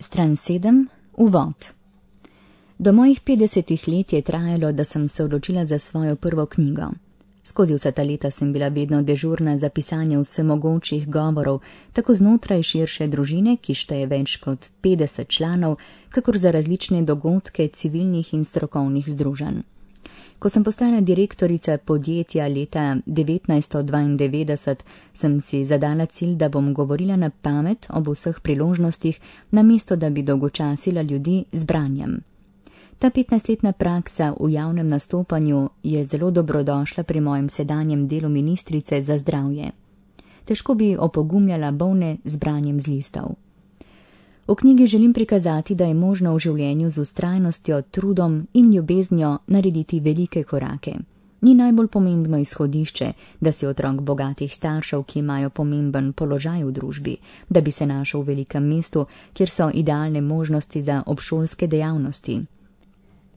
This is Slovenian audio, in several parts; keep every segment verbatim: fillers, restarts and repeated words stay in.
Stran sedem. Uvod. Do mojih petdesetih let je trajalo, da sem se odločila za svojo prvo knjigo. Skozi vsa ta leta sem bila vedno dežurna za pisanje vsemogočih govorov, tako znotraj širše družine, ki šteje več kot petdeset članov, kakor za različne dogodke civilnih in strokovnih združenj. Ko sem postala direktorica podjetja leta devetnajststo dvaindevetdeset, sem si zadala cilj, da bom govorila na pamet ob vseh priložnostih, namesto da bi dolgočasila ljudi z branjem. Ta petnajstletna praksa v javnem nastopanju je zelo dobrodošla pri mojem sedanjem delu ministrice za zdravje. Težko bi opogumljala bolne z branjem z listov. V knjigi želim prikazati, da je možno v življenju z vztrajnostjo, trudom in ljubeznijo narediti velike korake. Ni najbolj pomembno izhodišče, da si otrok bogatih staršev, ki imajo pomemben položaj v družbi, da bi se našel v velikem mestu, kjer so idealne možnosti za obšolske dejavnosti.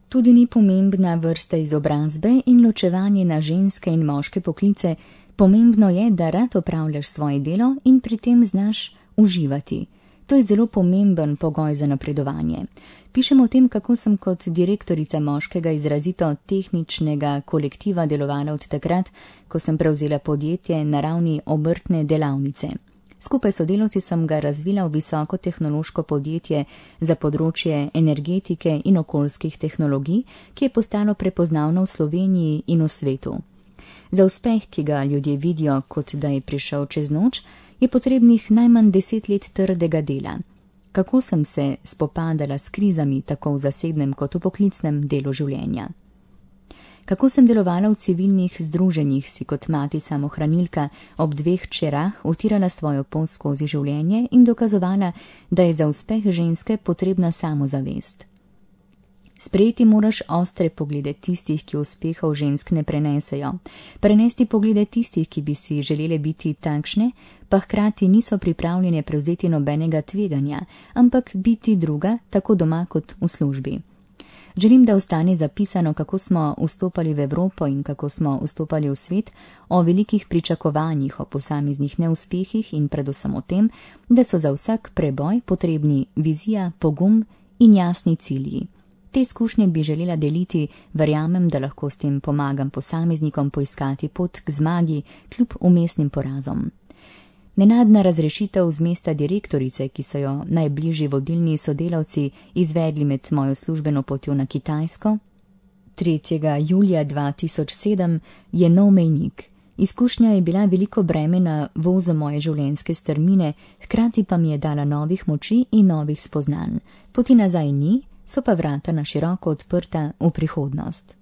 Tudi ni pomembna vrsta izobrazbe in ločevanje na ženske in moške poklice, pomembno je, da rad opravljaš svoje delo in pri tem znaš uživati. To je zelo pomemben pogoj za napredovanje. Pišem o tem, kako sem kot direktorica moškega izrazito tehničnega kolektiva delovala od takrat, ko sem prevzela podjetje na ravni obrtne delavnice. Skupaj s sodelavci sem ga razvila v visoko tehnološko podjetje za področje energetike in okoljskih tehnologij, ki je postalo prepoznavno v Sloveniji in v svetu. Za uspeh, ki ga ljudje vidijo, kot da je prišel čez noč, je potrebnih najmanj deset let trdega dela. Kako sem se spopadala s krizami tako v zasebnem kot v poklicnem delu življenja? Kako sem delovala v civilnih združenjih, si kot mati samohranilka ob dveh hčerah utirala svojo pot skozi življenje in dokazovala, da je za uspeh ženske potrebna samozavest. Sprejeti moraš ostre poglede tistih, ki uspehov žensk ne prenesejo. Prenesti poglede tistih, ki bi si želele biti takšne, pa hkrati niso pripravljene prevzeti nobenega tveganja, ampak biti druga, tako doma kot v službi. Želim, da ostane zapisano, kako smo vstopali v Evropo in kako smo vstopali v svet, o velikih pričakovanjih, o posameznih neuspehih in predvsem o tem, da so za vsak preboj potrebni vizija, pogum in jasni cilji. Te izkušnje bi želela deliti, verjamem, da lahko s tem pomagam posameznikom poiskati pot k zmagi kljub vmesnim porazom. Nenadna razrešitev z mesta direktorice, ki so jo najbližji vodilni sodelavci izvedli med mojo službeno potjo na Kitajsko, tretjega julija dva tisoč sedem, je nov mejnik. Izkušnja je bila veliko breme na vozu moje življenjske strmine, hkrati pa mi je dala novih moči in novih spoznanj. Poti nazaj ni, so pa vrata na široko odprta v prihodnost.